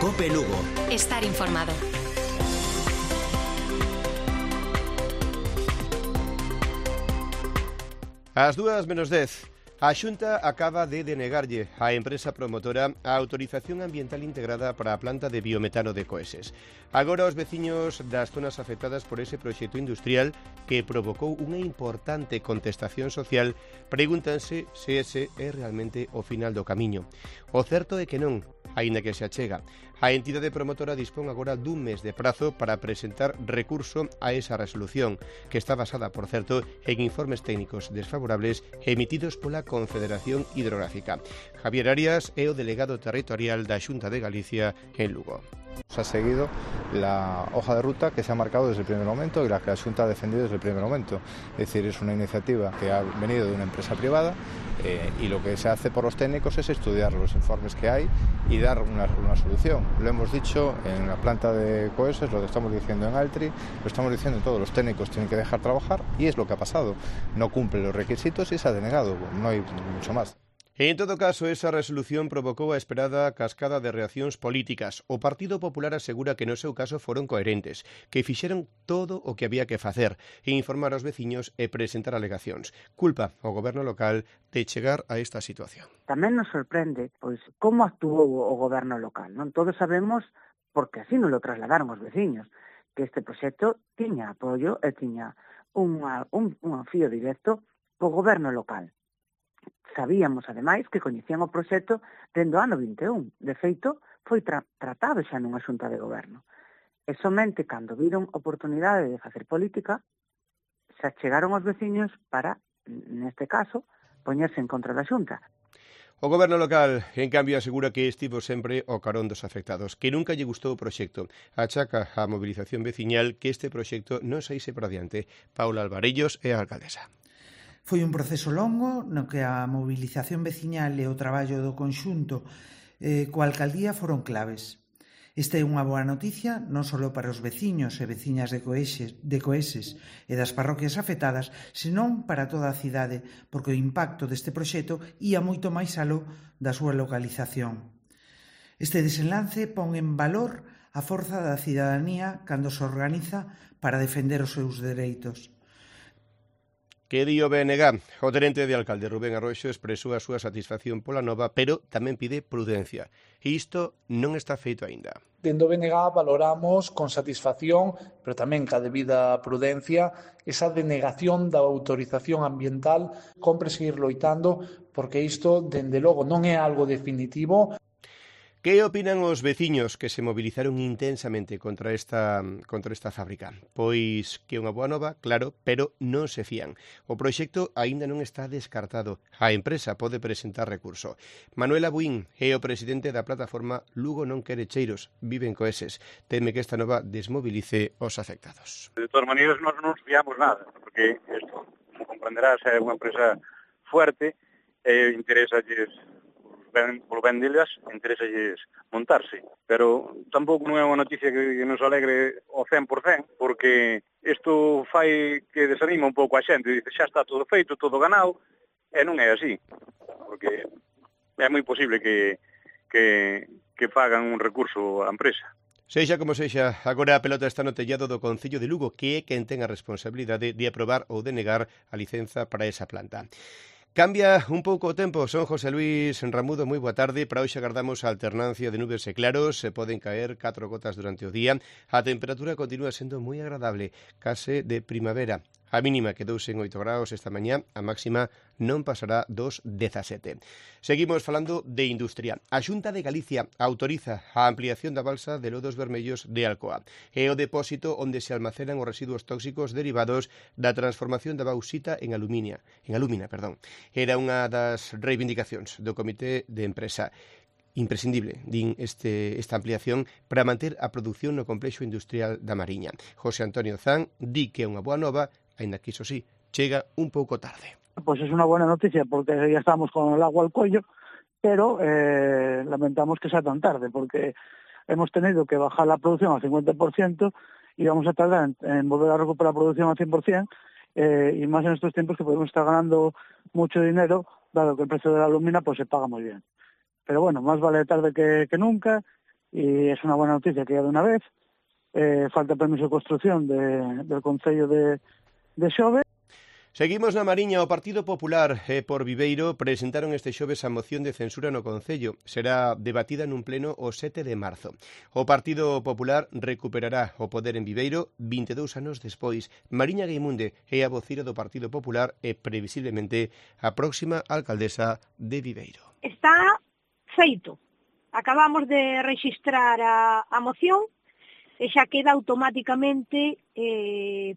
COPE Lugo. Estar informado. Ás 2:10. A Xunta acaba de denegarlle á empresa promotora a autorización ambiental integrada para a planta de biometano de Coeses. Agora os veciños das zonas afectadas por ese proxecto industrial que provocou unha importante contestación social pregúntanse se ese é realmente o final do camiño. O certo é que non, aínda que se achega. A entidade promotora dispón agora dun mes de prazo para presentar recurso a esa resolución, que está basada, por certo, en informes técnicos desfavorables emitidos pola Confederación Hidrográfica. Javier Arias é o delegado territorial da Xunta de Galicia en Lugo. Se ha seguido la hoja de ruta que se ha marcado desde el primer momento y la que la Xunta ha defendido desde el primer momento. Es decir, es una iniciativa que ha venido de una empresa privada y lo que se hace por los técnicos es estudiar los informes que hay y dar una solución. Lo hemos dicho en la planta de Coeses, lo estamos diciendo en Altri, lo estamos diciendo en todos los técnicos, tienen que dejar trabajar y es lo que ha pasado. No cumple los requisitos y se ha denegado, no hay mucho más. En todo caso, esa resolución provocou a esperada cascada de reaccións políticas. O Partido Popular asegura que no seu caso foron coherentes, que fixeron todo o que había que facer, informar aos veciños e presentar alegacións. Culpa ao goberno local de chegar a esta situación. Tamén nos sorprende pois como actuou o goberno local. Non todos sabemos, porque así nos lo trasladaron os veciños, que este proxecto tiña apoio e tiña un fío directo co goberno local. Sabíamos, ademais, que coñecían o proxecto dende o ano 21. De feito, foi tratado xa nunha xunta de goberno. E somente cando viron oportunidade de facer política, se achegaron os veciños para, neste caso, poñerse en contra da xunta. O goberno local, en cambio, asegura que estivo sempre ao carón dos afectados, que nunca lle gustou o proxecto. Achaca a movilización veciñal que este proxecto non saíse para diante. Paula Alvarellos é a alcaldesa. Foi un proceso longo no que a mobilización veciñal e o traballo do conxunto coa alcaldía foron claves. Esta é unha boa noticia non só para os veciños e veciñas de Coeses e das parroquias afectadas, senón para toda a cidade, porque o impacto deste proxecto ia moito máis aló da súa localización. Este desenlace pon en valor a forza da cidadanía cando se organiza para defender os seus dereitos. Que di o BNG? O tenente de alcalde Rubén Arroxo expresou a súa satisfacción pola nova, pero tamén pide prudencia. E isto non está feito aínda. Dende o BNG valoramos con satisfacción, pero tamén ca debida prudencia, esa denegación da autorización ambiental. Compre seguir loitando, porque isto, dende logo, non é algo definitivo. Que opinan os veciños que se movilizaron intensamente contra esta fábrica? Pois que é unha boa nova, claro, pero non se fían. O proxecto aínda non está descartado. A empresa pode presentar recurso. Manuel Abuín é o presidente da plataforma Lugo non quere cheiros, vive en Coeses. Teme que esta nova desmovilice os afectados. De todas maneiras, nós non nos fiamos nada, porque isto, como comprenderás, é unha empresa fuerte e interesalles polo ben delas, interesalles montarse. Pero tampouco non é unha noticia que nos alegre ao 100%, porque isto fai que desanima un pouco a xente. Dice, xa está todo feito, todo ganado, e non é así. Porque é moi posible que fagan un recurso á empresa. Sexa como sexa, agora a pelota está no tellado do Concello de Lugo, que é quen ten a responsabilidade de aprobar ou denegar a licenza para esa planta. Cambia un pouco o tempo, son José Luis Ramudo, moi boa tarde. Para hoxe agardamos a alternancia de nubes e claros, se poden caer 4 gotas durante o día. A temperatura continúa sendo moi agradable, case de primavera. A mínima quedouse en 8 graus esta mañá, a máxima non pasará dos 17. Seguimos falando de industria. A Xunta de Galicia autoriza a ampliación da balsa de Lodos Vermellos de Alcoa. É o depósito onde se almacenan os residuos tóxicos derivados da transformación da bauxita en alumina. Era unha das reivindicacións do Comité de Empresa. Imprescindible, din esta ampliación para manter a produción no complexo industrial da Mariña. José Antonio Zan di que é unha boa nova, aínda que iso sí, chega un pouco tarde. Pues es una buena noticia porque ya estamos con el agua al cuello, pero lamentamos que sea tan tarde porque hemos tenido que bajar la producción al 50% y vamos a tardar en volver a recuperar la producción al 100%, y más en estos tiempos que podemos estar ganando mucho dinero, dado que el precio de la alumina pues se paga muy bien. Pero bueno, más vale tarde que nunca, y es una buena noticia que ya de una vez. Falta permiso de construción del Concello de Xove. Seguimos na Mariña. O Partido Popular e por Viveiro presentaron este xoves a moción de censura no Concello. Será debatida nun pleno o 7 de marzo. O Partido Popular recuperará o poder en Viveiro 22 anos despois. Mariña Gueimunde é a vocira do Partido Popular e previsiblemente a próxima alcaldesa de Viveiro. Está feito. Acabamos de rexistrar a moción e xa queda automáticamente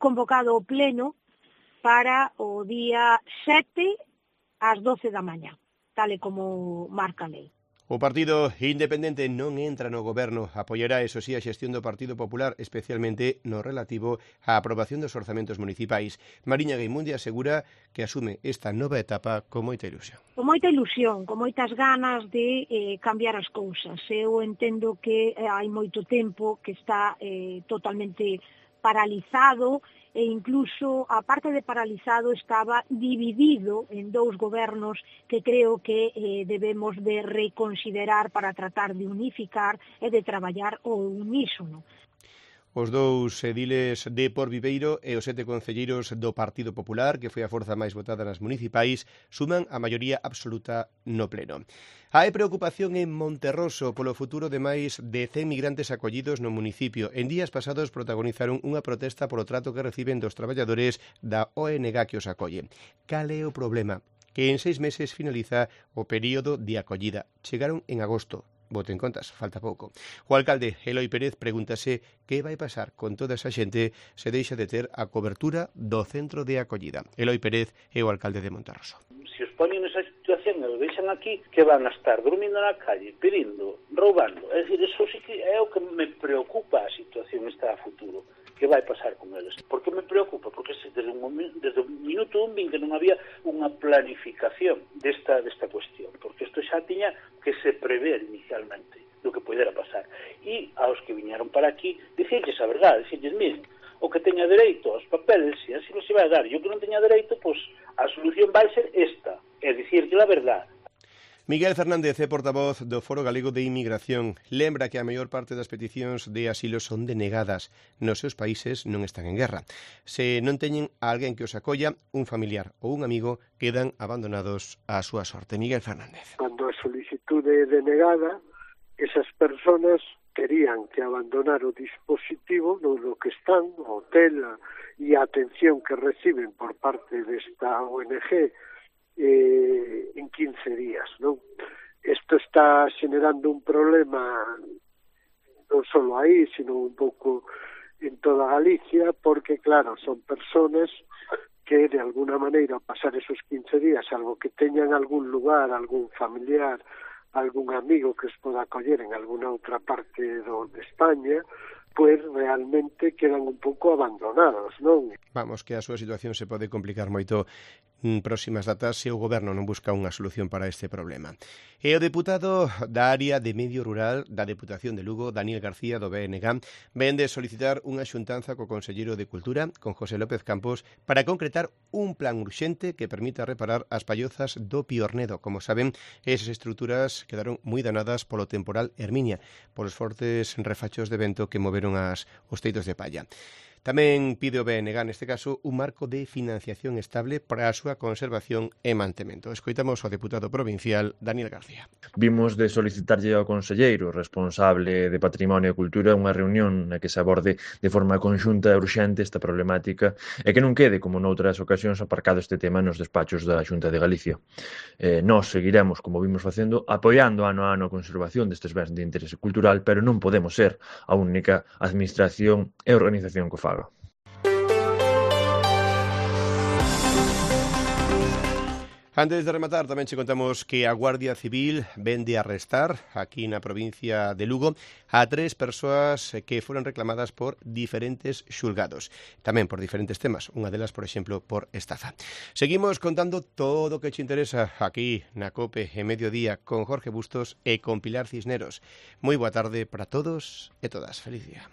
convocado o pleno para o día 7 ás 12 da mañá, tal e como marca a lei. O Partido Independente non entra no goberno, apoiará, eso sí, a xestión do Partido Popular, especialmente no relativo á aprobación dos orzamentos municipais. Mariña Gueimunde asegura que asume esta nova etapa con moita ilusión. Con moita ilusión, con moitas ganas de cambiar as cousas. Eu entendo que hai moito tempo que está totalmente paralizado e incluso, a parte de paralizado, estaba dividido en dous gobernos que creo que debemos de reconsiderar para tratar de unificar e de traballar ao unísono. Os dous ediles de Por Viveiro e os 7 concelleiros do Partido Popular, que foi a forza máis votada nas municipais, suman a maioría absoluta no pleno. Hai preocupación en Monterroso polo futuro de máis de 100 migrantes acollidos no municipio. En días pasados protagonizaron unha protesta polo trato que reciben dos traballadores da ONG que os acolle. Cal é o problema? Que en 6 meses finaliza o período de acollida. Chegaron en agosto. Boten contas, falta pouco. O alcalde Eloi Pérez pregúntase que vai pasar con toda esa xente se deixa de ter a cobertura do centro de acollida. Eloi Pérez é o alcalde de Monterroso. Se os poñen nesa situación e os deixan aquí, que van a estar dormindo na calle, pedindo, roubando. É dicir, eso sí que é o que me preocupa a situación esta a futuro. Que vai pasar con eles? Por que me preocupa? Porque desde o minuto 1 vin que non había unha planificación desta cuestión, porque isto xa tiña que se prever inicialmente do que pudera pasar. E aos que viñeron para aquí, dicirles a verdade, dicirles, miren, o que teña dereito aos papeles, e así se vai dar, e o que non teña dereito, pois a solución vai ser esta, é dicirlle a verdade. Miguel Fernández é portavoz do Foro Galego de Inmigración. Lembra que a maior parte das peticións de asilo son denegadas. Nos seus países non están en guerra. Se non teñen a alguén que os acolla, un familiar ou un amigo, quedan abandonados á súa sorte. Miguel Fernández. Cando a solicitude é denegada, esas personas terían que abandonar o dispositivo no que están, o hotel e a atención que reciben por parte desta ONG en 15 días, non? Isto está generando un problema non só aí, sino un pouco en toda Galicia, porque, claro, son personas que, de alguna maneira, ao pasar esos 15 días, algo que teñan algún lugar, algún familiar, algún amigo que os poda acoller en alguna outra parte de España, pues realmente quedan un pouco abandonados, non? Vamos, que a súa situación se pode complicar moito en próximas datas se o goberno non busca unha solución para este problema. E o deputado da área de medio rural da Deputación de Lugo, Daniel García, do BNG, ven de solicitar unha xuntanza co conselleiro de Cultura, con José López Campos, para concretar un plan urxente que permita reparar as pallozas do Piornedo. Como saben, esas estruturas quedaron moi danadas polo temporal Herminia, polos fortes refachos de vento que moveron os teitos de palla. Tamén pide o BNG, neste caso, un marco de financiación estable para a súa conservación e mantemento. Escoitamos ao deputado provincial Daniel García. Vimos de solicitarlle ao conselleiro responsable de Patrimonio e Cultura unha reunión na que se aborde de forma conxunta e urxente esta problemática e que non quede, como noutras ocasións, aparcado este tema nos despachos da Xunta de Galicia. Nós seguiremos, como vimos facendo, apoiando ano a ano a conservación destes bens de interese cultural, pero non podemos ser a única administración e organización que faga. Antes de rematar, tamén che contamos que a Guardia Civil ven de arrestar aquí na provincia de Lugo a 3 persoas que foron reclamadas por diferentes xulgados, tamén por diferentes temas, unha delas, por exemplo, por estafa. Seguimos contando todo o que che interesa aquí na COPE en Mediodía con Jorge Bustos e con Pilar Cisneros. Moi boa tarde para todos e todas. Feliz día.